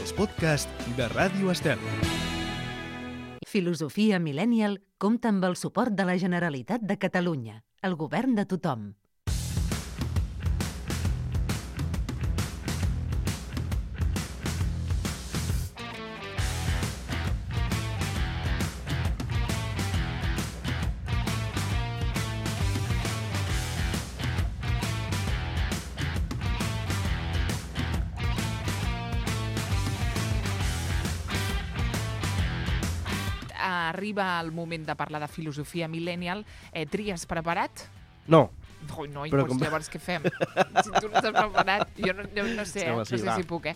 els podcasts de Ràdio Estel. Filosofia Millennial compta amb el suport de la Generalitat de Catalunya, el govern de tothom. Arriba el moment de parlar de filosofia millennial. Tries, preparat? No. Ui, no, Però doncs llavors què fem? Si tu no estàs preparat, jo no sé, no sé si puc,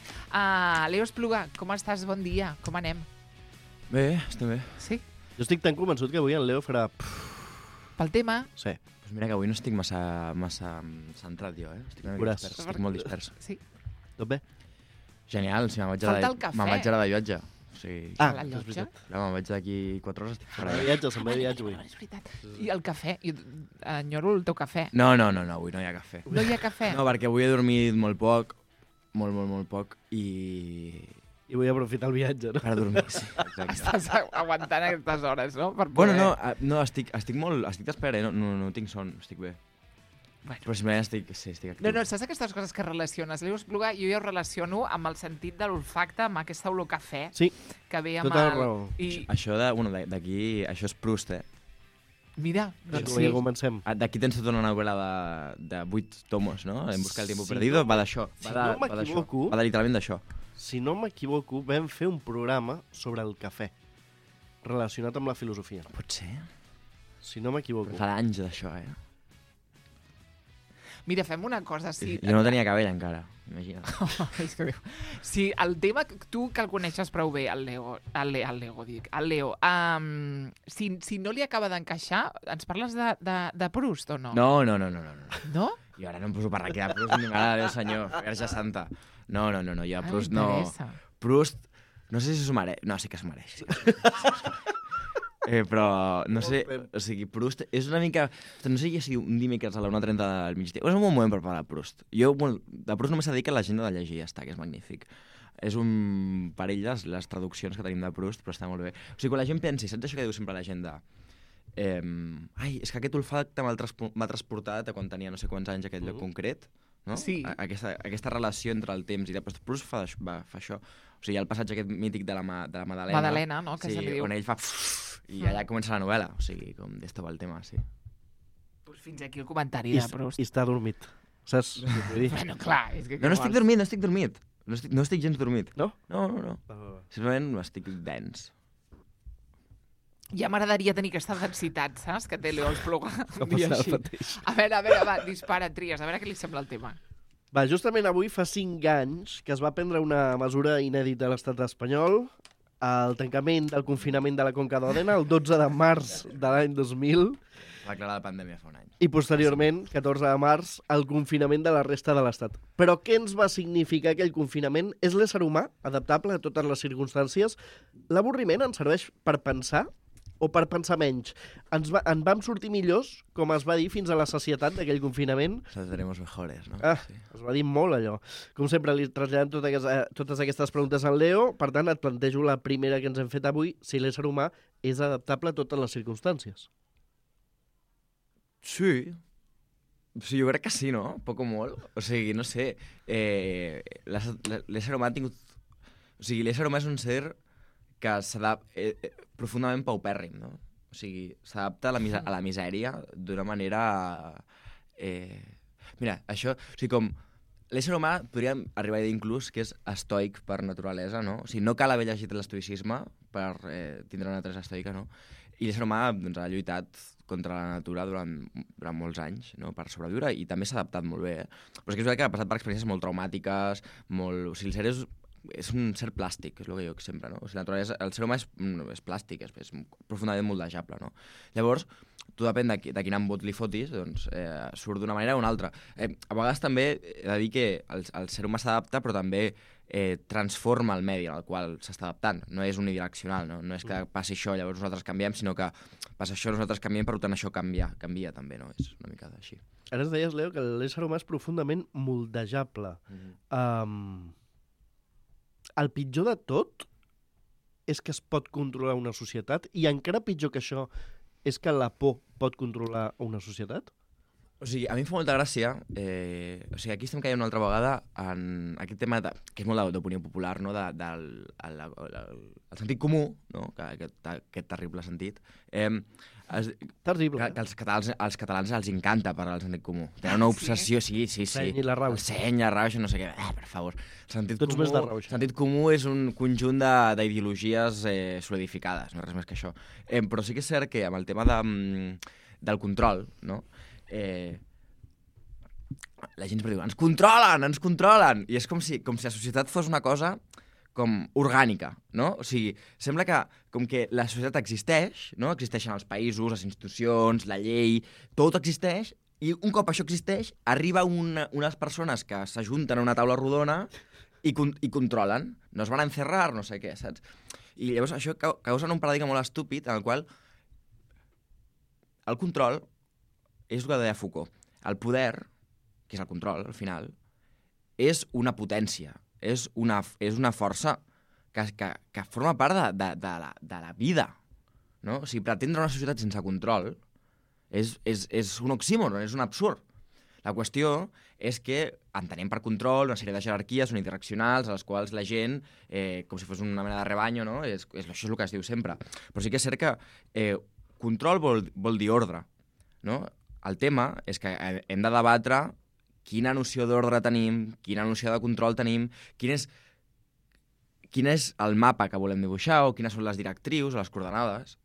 Leo Espluga, com estàs? Bon dia, com anem? Bé, estem bé. Sí? Jo estic tan convençut que avui en Leo farà... Pel tema? Sí. Pues mira que avui no estic massa centrat jo, Estic una mica dispers, estic molt dispers. Sí. Tot bé? Genial, si me'n vaig Falta el cafè. de viatge. O sigui, La és llotja? veritat. clar, me'n vaig d'aquí 4 hores, estic fora. Se'n va de viatge avui. És veritat. I el cafè? Jo enyoro el teu cafè. No, avui no hi ha cafè. No hi ha cafè? No, perquè avui he dormit molt poc, molt poc, i... I vull aprofitar el viatge, no? Per dormir, sí, exacte. Estàs aguantant aquestes hores, no? Per Bueno, poder... no, estic d'espera, no tinc son, estic bé. Bueno. Però simplement estic actiu. No, saps aquestes coses que relaciones? Leo Espluga, jo ja ho relaciono amb el sentit de l'olfacte, amb aquesta olor cafè Sí, que ve amb tota la el... raó. I Això d'aquí, això és Proust, mira, Doncs doncs sí. sí. Ja comencem. D'aquí tens tota una novel·la de 8 tomos, no? En busca del tiempo perdido, va d'això. si no m'equivoco- Va de literalment d'això. Si no m'equivoco, vam fer un programa sobre el cafè, relacionat amb la filosofia. Pot ser? Si no m'equivoco. Fa anys d'això, Mira, fem una cosa, sí. Jo no tenia cabell encara, imagina't. És que sí, el tema, tu que el coneixes prou bé, el Leo, si no li acaba d'encaixar, ens parles de Proust o no? No. No? Jo ara no em poso per aquí de Proust, ni m'agrada, Déu senyor, Verge Santa. No, jo a Proust no... m'interessa. Proust, no sé si s'ho mereix. No, sí que s'ho mereix. Però, no sé, o sigui, Proust és una mica... No sé si un dimecres a la 1:30 del migdia... És un bon moment per parlar de Proust. Jo, bueno, de Proust només s'ha dit que l'agenda de llegir ja està, que és magnífic. És un perill les traduccions que tenim de Proust, però està molt bé. O sigui, quan la gent pensi, saps això que diu sempre l'agenda? Ai, és que aquest olfacte m'ha transportat a quan tenia no sé quants anys aquest lloc concret, no? Sí. Aquesta relació entre el temps i després Proust fa això. O sigui, hi ha el passatge aquest mític de la Madalena. Madalena, no? Que sí, se li diu. on ell fa... I allà comença la novel·la. O sigui, com d'esto va el tema, sí. Pues fins aquí el comentari de Proust. I està dormit. Saps? Bueno, clar, és que... No estic dormit. No estic gens dormit. No? No. Simplement estic dens. Ja m'agradaria tenir aquesta densitat, saps? Que té Leo Espluga. No passa el mateix. A veure, va, dispara, Tries, a veure què li sembla el tema. Va, justament avui fa 5 anys que es va prendre una mesura inèdita a l'estat espanyol, el tancament del confinament de la Conca d'Òdena el 12 de març de l'any 2000 Va declarar la pandèmia fa un any. i posteriorment, 14 de març, el confinament de la resta de l'estat. Però què ens va significar aquell confinament? És l'ésser humà adaptable a totes les circumstàncies? L'avorriment ens serveix per pensar o per pensar menys? En vam sortir millors, com es va dir fins a la sacietat d'aquell confinament? Seremos mejores, no? Sí. Es va dir molt allò. Com sempre, li traslladem totes aquestes preguntes al Leo, per tant, et plantejo la primera que ens hem fet avui, si l'ésser humà és adaptable a totes les circumstàncies. Sí. Sí, jo crec que sí, no? Poc o molt. O sigui, no sé. L'ésser humà ha tingut... O sigui, l'ésser humà és un ser que s'adapta profundament paupèrrim, no? O sigui, s'adapta a la misèria d'una manera... Mira, això... O sigui, com... L'ésser humà podríem arribar a dir inclús que és estoic per naturalesa, no? O sigui, no cal haver llegit l'estoicisme per tindre una naturalesa estoica, no? I l'ésser humà doncs, ha lluitat contra la natura durant molts anys, no? Per sobreviure, i també s'ha adaptat molt bé, Però és que és veritat que ha passat per experiències molt traumàtiques, molt... O sigui, el ser és un ser plàstic, és el que jo sempre, no? O sigui, el ser humà és plàstic, és profundament moldejable, no? Llavors, tu depèn de quin embot li fotis, doncs surt d'una manera o una altra. A vegades també he de dir que el ser humà s'adapta, però també transforma el medi al qual s'està adaptant. No és unidireccional, no? No és que passi això, llavors nosaltres canviem, sinó que passa això, nosaltres canviem, per tant això canvia també, no? És una mica així. Ara ens deies, Leo, que l'ésser humà és profundament moldejable. el pitjor de tot és que es pot controlar una societat i encara pitjor que això és que la por pot controlar una societat? O sigui, a mi em fa molta gràcia, o sigui, aquí estem caient una altra vegada en aquest tema que és molt d'opinió popular, no? Del el sentit comú, no? Aquest terrible sentit. Terrible. Que als catalans els encanta parlar del sentit comú. Tenen una obsessió, sí. El seny i la rauxa. El seny, la rauxa, no sé què. Per favor. Tots més de rauxa. Sentit comú és un conjunt d'ideologies solidificades, no res més que això. Però sí que és cert que amb el tema del control, no? La gent diu, ens controlen! I és com si la societat fos una cosa com orgànica, no? O sigui, sembla que com que la societat existeix, no? Existeixen els països, les institucions, la llei, tot existeix, i un cop això existeix, arriba unes persones que s'ajunten a una taula rodona i controlen. Nos van a encerrar, no sé què, saps? I llavors això causa un paradigma molt estúpid en el qual el control és el que deia Foucault. El poder, que és el control, al final, és una potència, és una força que forma part de la vida. No? O sigui, pretendre una societat sense control és un oxímoron, és un absurd. La qüestió és que entenem per control una sèrie de jerarquies unidireccionals a les quals la gent, com si fos una mena de rebanyo, no? Això és el que es diu sempre. Però sí que és cert que control vol dir ordre, no? El tema és que hem de debatre quina noció d'ordre tenim, quina noció de control tenim, quin és el mapa que volem dibuixar o quines són les directrius o les coordenades.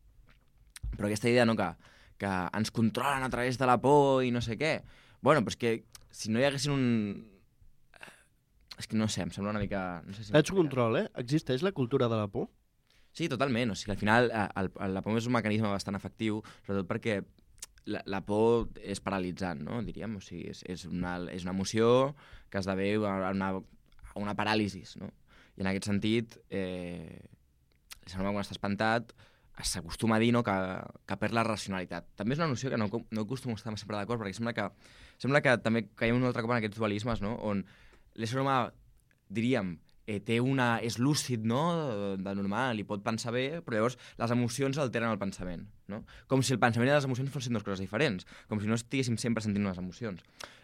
Però aquesta idea, no, que ens controlen a través de la por i no sé què. Bueno, però és que si no hi haguessin És que no sé, em sembla una mica... No sé si Ets control, Existeix la cultura de la por? Sí, totalment. O sigui, al final la por és un mecanisme bastant efectiu, sobretot perquè la por és paralitzant, no? Diríem. O sigui, és una emoció que esdevé una paràlisi, no? I en aquest sentit, quan està espantat, s'acostuma a dir, no, que perd la racionalitat. També és una noció que no acostumo a estar sempre d'acord, perquè sembla que també caiem un altre cop en aquests dualismes, no? On l'ésser humà, diríem, és lúcid, no?, de normal, i pot pensar bé, però llavors les emocions alteren el pensament, no? Com si el pensament i les emocions fossin dues coses diferents, com si no estiguéssim sempre sentint unes emocions.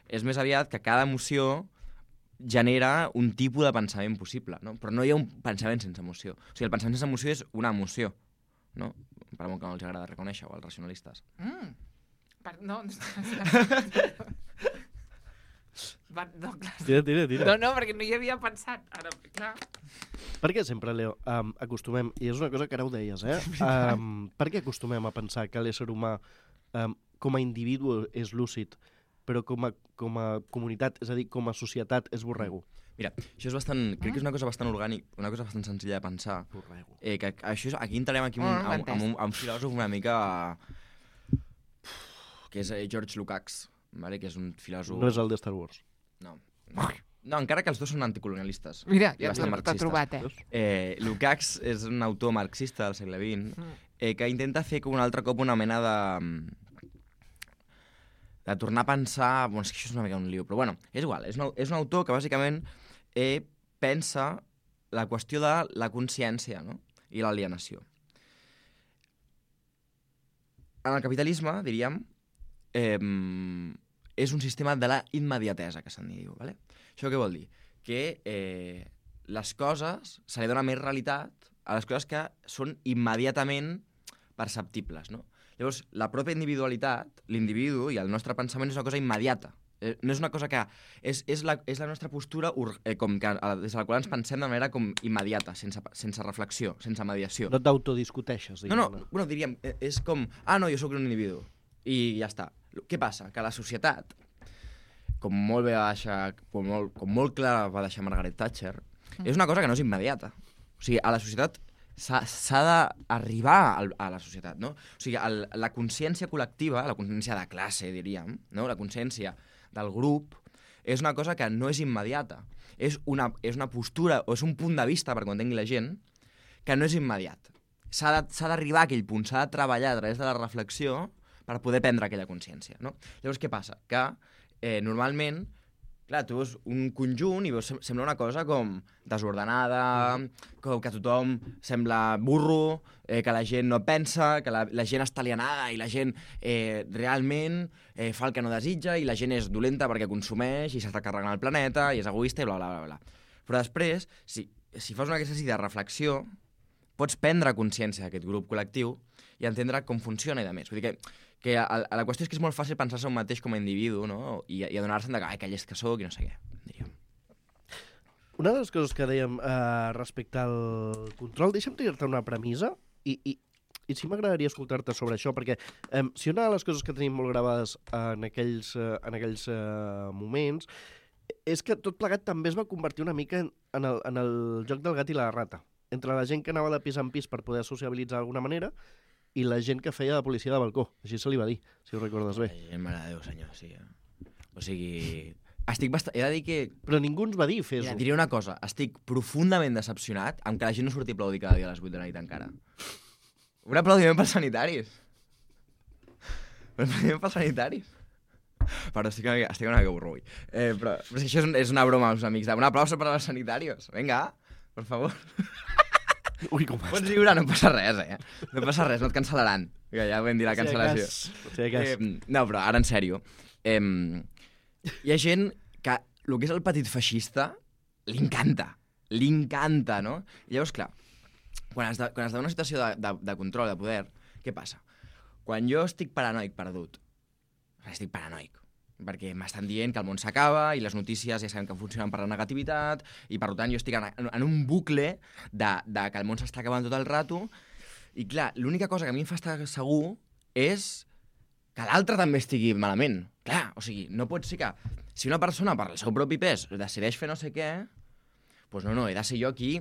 És més aviat que cada emoció genera un tipus de pensament possible, no? Però no hi ha un pensament sense emoció. O sigui, el pensament sense emoció és una emoció, no? Per molt que no els agrada reconèixer, o als racionalistes. No, Tira. No, perquè no hi havia pensat. Ara, clar. Per què sempre, Leo, acostumem, i és una cosa que ara ho deies, per què acostumem a pensar que l'ésser humà com a individu és lúcid, però com a comunitat, és a dir, com a societat, és borrego? Mira, això és crec que és una cosa bastant orgànica, una cosa bastant senzilla de pensar. Borrego. Que això, aquí entrarem amb un filòsof una mica... que és George Lukács, vale? Que és un filòsof... No és el de Star Wars. No, encara que els dos són anticolonialistes. Mira, ja t'ha trobat, Lukács és un autor marxista del segle XX que intenta fer com un altre cop una mena de tornar a pensar... Bueno, és que això és una mica un lío, però bueno, és igual. És un autor que bàsicament pensa la qüestió de la consciència, no? I l'alienació. En el capitalisme, diríem, és un sistema de la immediatesa, que se'n diu. ¿Vale? Això què vol dir? Que les coses, se li dona més realitat a les coses que són immediatament perceptibles, no? Llavors, la pròpia individualitat, l'individu i el nostre pensament és una cosa immediata. No és una cosa que... És la nostra postura com que, des de la qual ens pensem de manera com immediata, sense reflexió, sense mediació. No t'autodiscuteixes, diguem-ne. No, bueno, diríem, és com... no, jo sóc un individu. I ja està. Què passa? Que la societat, com molt clara va deixar Margaret Thatcher, és una cosa que no és immediata. O sigui, a la societat s'ha d'arribar a la societat, no? O sigui, la consciència col·lectiva, la consciència de classe, diríem, no? La consciència del grup, és una cosa que no és immediata. És una postura, o és un punt de vista, perquè ho entengui la gent, que no és immediat. S'ha d'arribar a aquell punt, s'ha de treballar a través de la reflexió per poder prendre aquella consciència, no? Llavors, què passa? Que normalment clar, tu veus un conjunt i veus, sembla una cosa com desordenada, com que tothom sembla burro, que la gent no pensa, que la gent està alienada i la gent realment fa el que no desitja i la gent és dolenta perquè consumeix i s'està carregant el planeta i és egoista i bla, bla, bla, bla. Però després, si fas una exercici de reflexió, pots prendre consciència d'aquest grup col·lectiu i entendre com funciona i de més. Vull dir que la qüestió és que és molt fàcil pensar-se un mateix com a individu, no? I adonar-se'n que aquell és que soc i no sé què, diríem. Una de les coses que dèiem respecte al control, deixa'm dir-te una premissa i sí m'agradaria escoltar-te sobre això, perquè si una de les coses que tenim molt gravades en aquells moments és que tot plegat també es va convertir una mica en el joc del gat i la rata, entre la gent que anava de pis en pis per poder sociabilitzar d'alguna manera i la gent que feia de policia de balcó. Així se li va dir, si ho recordes bé. Mare de Déu, senyor, sí. O sigui, he de dir que... Però ningú ens va dir fes-ho. Diré una cosa, estic profundament decepcionat amb que la gent no surti a aplaudir cada dia a les 8 de la nit encara. Un aplaudiment pels sanitaris. Un aplaudiment pels sanitaris. Però estic una mica burro avui. Però és que això és una broma als amics. Un aplauso per als sanitarios. Vinga, per favor. Ui, com pots riure, no passa res, No passa res, no et cancel·laran. Que ja vam dir la cancel·lació. No, però ara en sèrio. Hi ha gent que el que és el petit feixista li encanta, no? I llavors, clar, quan es dona una situació de control, de poder, què passa? Quan jo estic paranoic perdut, estic paranoic, perquè m'estan dient que el món s'acaba i les notícies ja sabem que funcionen per la negativitat i per tant jo estic en un bucle de que el món s'està acabant tot el rato i clar, l'única cosa que a mi em fa estar segur és que l'altre també estigui malament. Clar, o sigui, no pot ser que si una persona per el seu propi pes decideix fer no sé què, doncs no, he de ser jo aquí.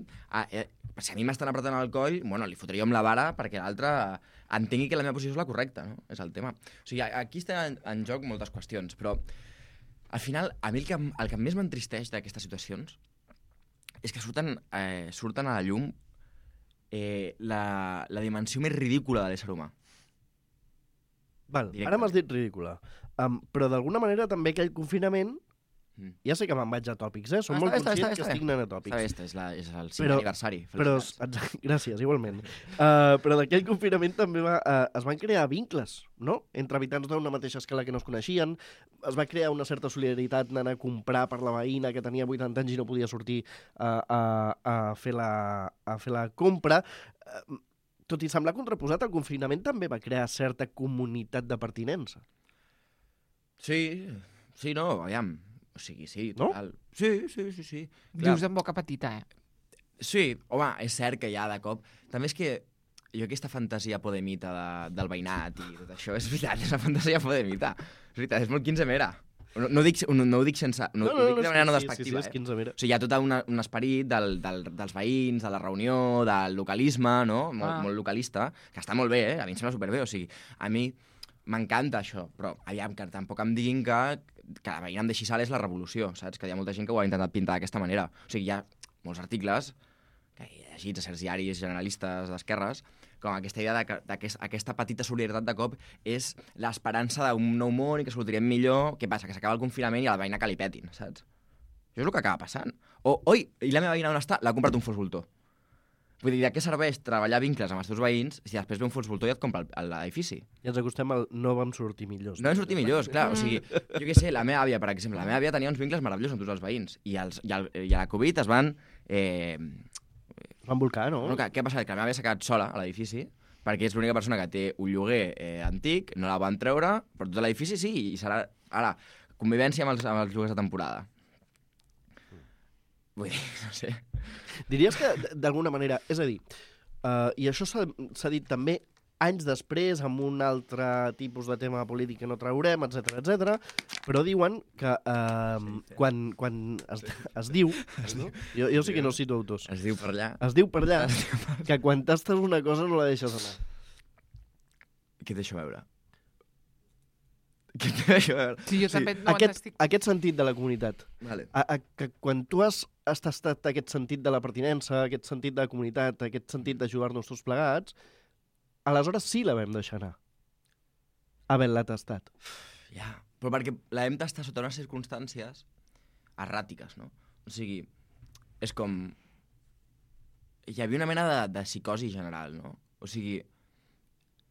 Si a mi m'estan apretant el coll, bueno, li fotria amb la vara perquè l'altre entengui que la meva posició és la correcta, no? És el tema. O sigui, aquí estan en joc moltes qüestions, però al final, a mi el que més m'entristeix d'aquestes situacions és que surten a la llum la dimensió més ridícula de l'ésser humà. Val, ara m'has dit ridícula. Però d'alguna manera també aquell confinament, ja sé que me'n vaig a tòpics, som molt conscients que estic anant a tòpics. Està bé, és el 5è aniversari. Gràcies, igualment. Però d'aquell confinament també es van crear vincles, no? Entre habitants d'una mateixa escala que no es coneixien, es va crear una certa solidaritat anant a comprar per la veïna que tenia 80 anys i no podia sortir a fer la compra. Tot i semblar contraposat, el confinament també va crear certa comunitat de pertinença. Sí, no, aviam. O sigui, sí, total. No? Sí. Dius en boca petita, Sí, home, és cert que ja de cop... També és que jo aquesta fantasia podemita del veïnat i tot això, és veritat, és una fantasia podemita. És veritat, és molt quinzemera. No ho dic sense... No ho dic de manera no despectiva. Sí, és quinzemera. O sigui, hi ha tot un esperit dels veïns, de la reunió, del localisme, no? Molt localista, que està molt bé, a mi em sembla superbé. O sigui, a mi m'encanta això, però aviam, que tampoc em diguin que la veïna em deixi sal és la revolució, saps? Que hi ha molta gent que ho ha intentat pintar d'aquesta manera. O sigui, hi ha molts articles que he llegit a certs diaris generalistes d'esquerres, com aquesta idea que aquesta petita solidaritat de cop és l'esperança d'un nou món i que sortirem millor. Què passa? Que s'acaba el confinament i a la veïna que li petin, saps? Això és el que acaba passant. Oi, i la meva veïna on està? L'ha comprat un fos voltor. Vull dir, de què serveix treballar vincles amb els teus veïns si després ve un fons voltor i et compra l'edifici? I ens acostem al no vam sortir millors. No vam sortir millors, clar. O sigui, jo què sé, la meva àvia, per exemple, la meva àvia tenia uns vincles meravellosos amb tots els veïns i a la Covid es van... Van volcar, no? Què ha passat? Que la meva àvia s'ha quedat sola a l'edifici perquè és l'única persona que té un lloguer antic, no la van treure, però tot l'edifici sí, i serà ara convivència amb els lloguers de temporada. Vull dir, no sé... Diries que, d'alguna manera, és a dir, i això s'ha dit també anys després amb un altre tipus de tema polític que no traurem, etc, però diuen que quan es diu, no? Jo sí que no cito autors. Es diu per allà. Es diu per allà, que quan tastes una cosa no la deixes anar. Què et deixo veure? Sí, jo també no aquest sentit de la comunitat. Vale. Que quan tu has tastat aquest sentit de la pertinença, aquest sentit de la comunitat, aquest sentit d'ajudar-nos tots plegats, aleshores sí la vam deixar anar. Havent-la tastat. Ja, però perquè la hem tastat sota unes circumstàncies erràtiques, no? O sigui, és com... Hi havia una mena de psicosi general, no? O sigui,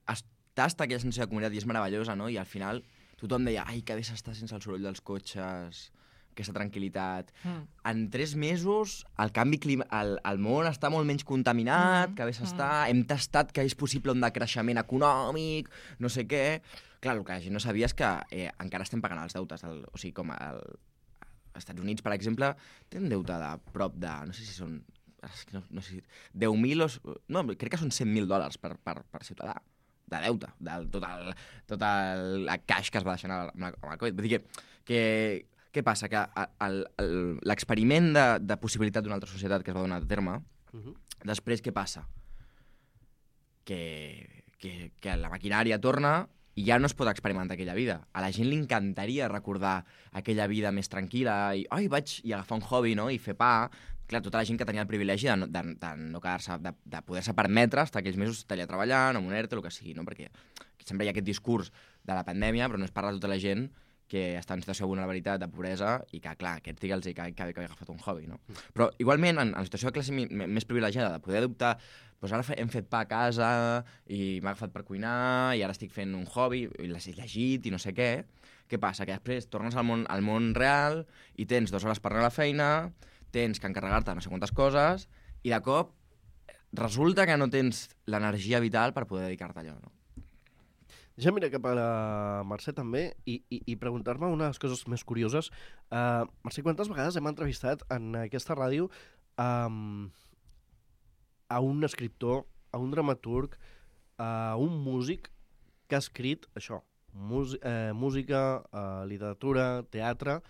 estàs aquella sensació de comunitat i és meravellosa, no? I al final tothom deia, ai, que bé s'està sense el soroll dels cotxes, aquesta tranquil·litat. En 3 mesos el canvi el món està molt menys contaminat, que bé s'està, hem tastat que és possible un decreixement econòmic, no sé què. Clar, el que la gent no sabia és que encara estem pagant els deutes. O sigui, com als Estats Units, per exemple, té un deute de prop de, no sé si són, no sé si 10.000 o... No, crec que són $100.000 per ciutadà de deute, del tot el cash que es va deixar amb el Covid. Vull dir que què passa? Que l'experiment de possibilitat d'una altra societat que es va donar a terme, després què passa? Que la maquinària torna i ja no es pot experimentar aquella vida. A la gent li encantaria recordar aquella vida més tranquil·la i vaig agafar un hobby, no? I fer pa. Clar, tota la gent que tenia el privilegi de no quedar-se, de poder-se permetre estar aquells mesos treballant, amb un ERTE, el que sigui, no? Perquè sempre hi ha aquest discurs de la pandèmia, però no es parla de tota la gent que està en situació de vulnerabilitat, de pobresa, i que, clar, aquests digue'ls que havia agafat un hobby, no? Però, igualment, en situació de classe més privilegiada, de poder adoptar, doncs ara hem fet pa a casa, i m'ha agafat per cuinar, i ara estic fent un hobby, i l'he llegit, i no sé què. Què passa? Que després tornes al món real, i tens 2 hores per anar a la feina, tens que encarregar-te no sé quantes coses, i de cop resulta que no tens l'energia vital per poder dedicar-te a allò, no? Ja mira cap a la Mercè també i preguntar-me una de les coses més curioses. Mercè, quantes vegades hem entrevistat en aquesta ràdio a un escriptor, a un dramaturg, a un músic que ha escrit això, música, literatura, teatre,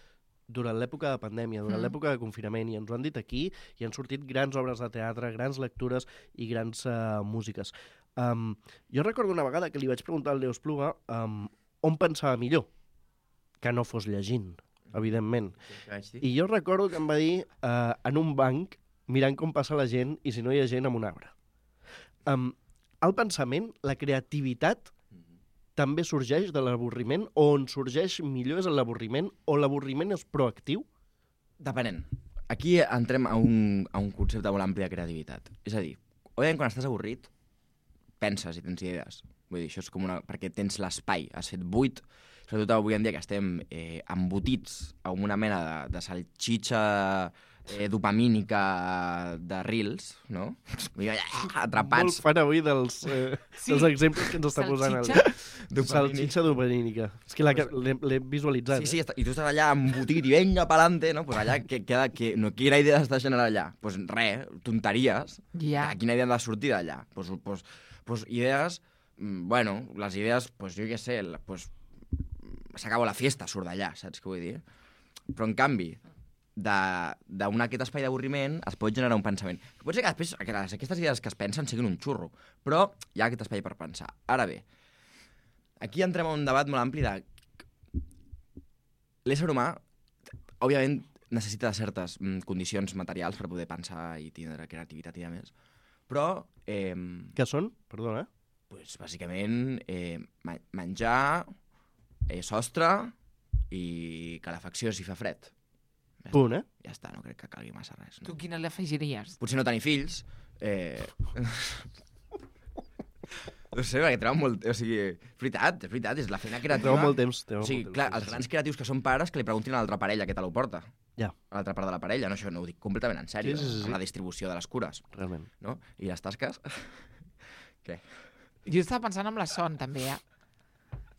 durant l'època de pandèmia, durant l'època de confinament, i ens ho han dit aquí, i han sortit grans obres de teatre, grans lectures i grans músiques. Jo recordo una vegada que li vaig preguntar al Leo Espluga on pensava millor, que no fos llegint, evidentment. I jo recordo que em va dir en un banc, mirant com passa la gent, i si no hi ha gent, amb un arbre. El pensament, la creativitat, també sorgeix de l'avorriment, o on sorgeix millor és l'avorriment, o l'avorriment és proactiu? Depenent. Aquí entrem a un concepte molt ampli de creativitat. És a dir, òbviament quan estàs avorrit, penses i tens idees. Vull dir, això és com perquè tens l'espai, has fet buit, sobretot avui en dia que estem embotits amb una mena de salxitxa dopamínica de reels, no? Atrapats. Molt fan avui dels exemples que ens està posant. Salxitxa dopamínica. És que l'he visualitzat. Sí, i tu estàs allà embotit i venga pa'lante, no? Pues allà, quina idea estàs generant allà? Pues res, tonteries. Quina idea han de sortir d'allà? Pues idees, bueno, les idees, pues jo què sé, pues s'acaba la fiesta, surt d'allà, saps què vull dir? Però en canvi, d'aquest espai d'avorriment es pot generar un pensament. Pot ser que després aquestes idees que es pensen siguin un xurro, però hi ha aquest espai per pensar. Ara bé, aquí entrem a un debat molt ampli de... L'ésser humà, òbviament, necessita de certes condicions materials per poder pensar i tindre creativitat i més, però... Què són? Perdona. Pues, bàsicament, menjar, sostre i calefacció si fa fred. Punt, Ja està, no crec que calgui massa res. No? Tu quina l'afegiries? Potser no tenir fills. No sé, perquè treuen molt... O sigui, és veritat, és la feina creativa. Treuen molt temps. O sigui, clar, els grans creatius que són pares que li preguntin a l'altra parella què te lo porta. Ja. A l'altra part de la parella, no? Això no ho dic completament en sèrio, sí. amb la distribució de les cures. Realment. No? I les tasques? Què? Jo estava pensant en la son, també,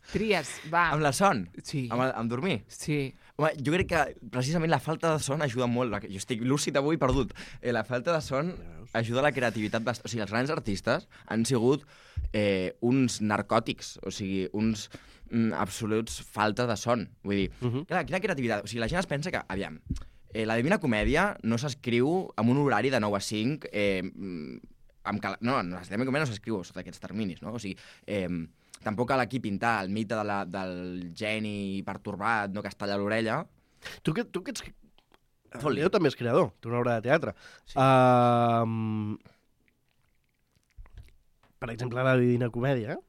Tries, va. Amb la son? Sí. Amb dormir? Sí. Home, jo crec que precisament la falta de son ajuda molt. Jo estic lúcid avui perdut. La falta de son ajuda a la creativitat. O sigui, els grans artistes han sigut uns narcòtics, o sigui, uns absoluts falta de son. Vull dir, clar, quina creativitat. O sigui, la gent es pensa que, aviam, la Divina Comèdia no s'escriu amb un horari de 9 a 5, no, la Divina Comèdia no s'escriu sota aquests terminis, no? O sigui, tampoc cal aquí pintar el mite del geni pertorbat, no, que es talla l'orella. Tu que ets... El Leo també és creador, té una obra de teatre. Sí. Per exemple, la Divina Comèdia,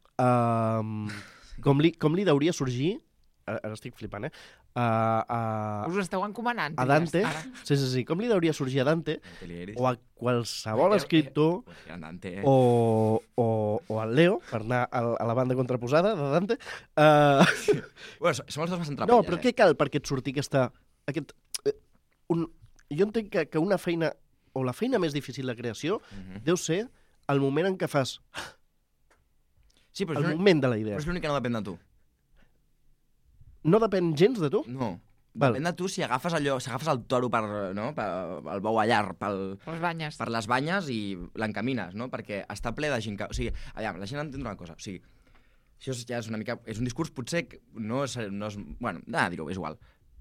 com li hauria sorgir, ara estic flipant, Us ho esteu encomanant. A Dante. Sí. Com li hauria sorgir a Dante o a qualsevol escriptor o al Leo, per anar a la banda contraposada de Dante. Bueno, som els dos bastant trapelles. No, però què cal perquè et surti jo entenc que una feina, o la feina més difícil de creació, deu ser el moment en què fas... Sí, però el moment de la idea. Però és l'únic que no depèn de tu. No depèn gens de tu? No. Depèn de tu si agafes el toro el bou allar per les banyes i l'encamines, no? Perquè està ple de gent que... O sigui, aviam, la gent entén una cosa. O sigui, això ja és una mica... És un discurs potser que no és... Bueno, dir-ho, és igual.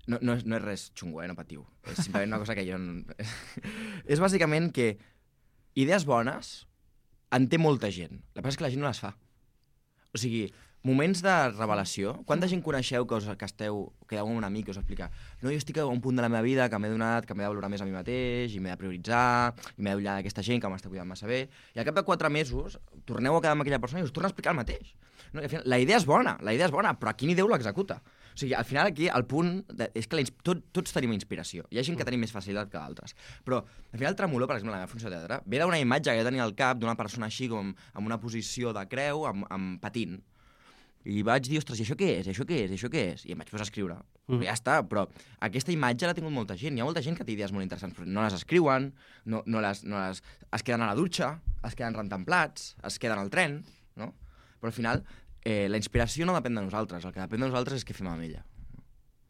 No és res xungo, no patiu. És simplement una cosa que jo... És bàsicament que idees bones en té molta gent. El que passa és que la gent no les fa. O sigui, moments de revelació. Quanta gent coneixeu que quedeu amb un amic que us explica no, jo estic a un punt de la meva vida que m'he donat, que m'he de valorar més a mi mateix, i m'he de prioritzar, i m'he d'ollar d'aquesta gent que m'està cuidant massa bé, i al cap de 4 mesos torneu a quedar amb aquella persona i us torna a explicar el mateix. No? I al final, la idea és bona, però a quin ideu l'executa? O sigui, al final aquí el punt és que tots tenim inspiració. Hi ha gent que tenim més facilitat que d'altres. Però al final Tremolor, per exemple, la meva funció de teatre, ve d'una imatge que jo tenia al cap d'una persona així com amb una posició de creu, amb patint. I vaig dir, ostres, i això què és? I em vaig posar a escriure. Però ja està, però aquesta imatge l'ha tingut molta gent. Hi ha molta gent que té idees molt interessants, però no les escriuen, es queden a la dutxa, es queden rentant plats, es queden al tren, no? Però al final, la inspiració no depèn de nosaltres, el que depèn de nosaltres és què fem amb ella.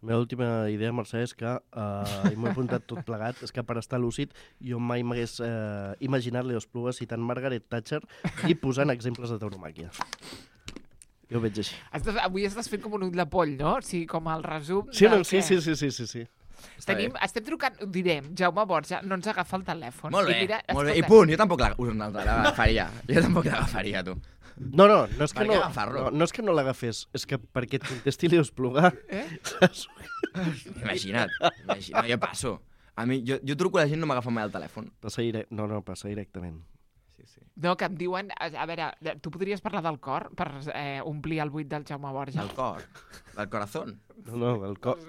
La meva última idea, Mercè, és que, i m'ho he apuntat tot plegat, és que per estar lúcid jo mai m'hagués imaginat Leo Espluga citant Margaret Thatcher i posant exemples de tauromàquia. Jo ho veig així. Avui estàs fent com un ull de poll, no? O sigui, com el resum... Sí. Estem trucant, ho direm, Jaume Borja no ens agafa el telèfon. Molt bé, i punt, jo tampoc l'agafaria. Tu. No és que no és que no l'agafés, és que perquè et contesti Leo Espluga. Imagina't, jo passo. A mi, jo truco a la gent, no m'agafa mai el telèfon. Passa directament. Sí. No, que em diuen... A veure, tu podries parlar del cor per omplir el buit del Jaume Borja? Del cor? Del corazón? No, del cor.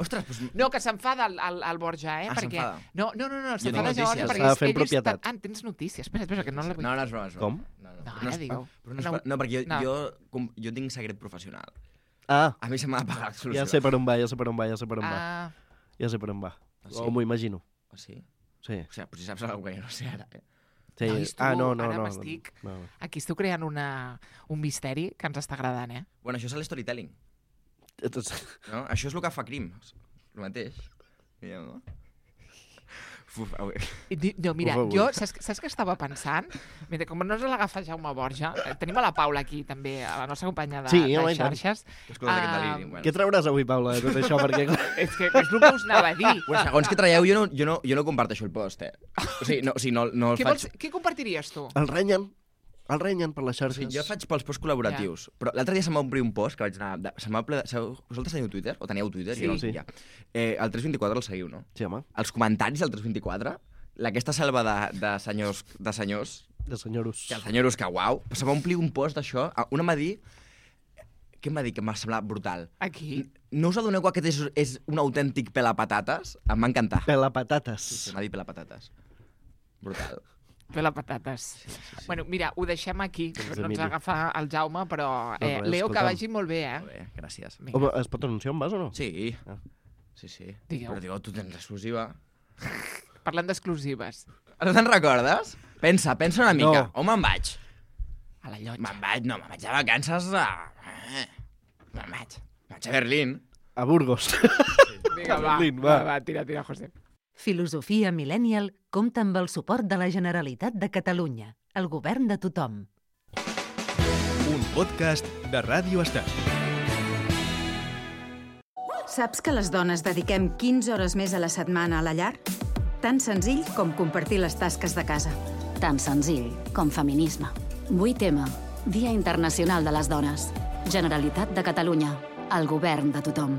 Ostres, doncs... No, que s'enfada el Borja, perquè... s'enfada? No, s'enfada Borja perquè s'ha de fer propietat. Tens notícies. Espera, que no la vull... No, és broma. Com? No, ara digue-ho. No, perquè jo tinc secret professional. A mi se m'ha de pagar l'exclusiva. Ja sé per on va. Ja sé per on va. Sí? O m'ho imagino. Sí? Sí. O sigui, potser saps alguna cosa que jo no sé ara, Sí. No. Aquí estic creant un misteri que ens està agradant, Bueno, això és l'storytelling. No? Això és el que fa Crims. El mateix. No? No, mira, jo, saps què estava pensant? Mira, com no se l'agafa Jaume Borja, tenim a la Paula aquí, també, a la nostra companya de xarxes. Què trauràs avui, Paula, de tot això? Perquè... és que és el que us anava a dir. Bueno, segons que traieu, jo no comparteixo el post, O sigui, no el faig... Què compartiries tu? El renyen per les xarxes. Jo faig pels posts col·laboratius. Però l'altre dia se'm va omplir un post que vaig anar... Vosaltres teniu Twitter? O teníeu Twitter? Sí. El 324 el seguiu, no? Sí, home. Els comentaris del 324, aquesta selva de senyors... De senyoros. Que els senyoros que, uau, se'm va omplir un post d'això. Una em va dir... Què em va dir que m'ha semblat brutal? Aquí? No us adoneu que aquest és un autèntic pelapatates? Em va encantar. Pelapatates. Sí, m'ha dit pelapatates. Brutal. Pelapatates. Sí. Bueno, mira, ho deixem aquí. No ens agafa el Jaume, però... Leo, que vagi molt bé, Molt bé, gràcies. Home, es pot anunciar on vas o no? Sí. Sí. Digueu. Però tu tens l'exclusiva. Parlant d'exclusives. No te'n recordes? Pensa una mica. No. On me'n vaig? A la llotja. Me'n vaig de vacances a... Me'n vaig a Berlín. A Burgos. Vinga, va, tira, José. Filosofia Millennial compta amb el suport de la Generalitat de Catalunya, el govern de tothom. Un podcast de Ràdio Estel. Saps que les dones dediquem 15 hores més a la setmana a la llar? Tan senzill com compartir les tasques de casa. Tan senzill com feminisme. 8M, Dia Internacional de les Dones. Generalitat de Catalunya, el govern de tothom.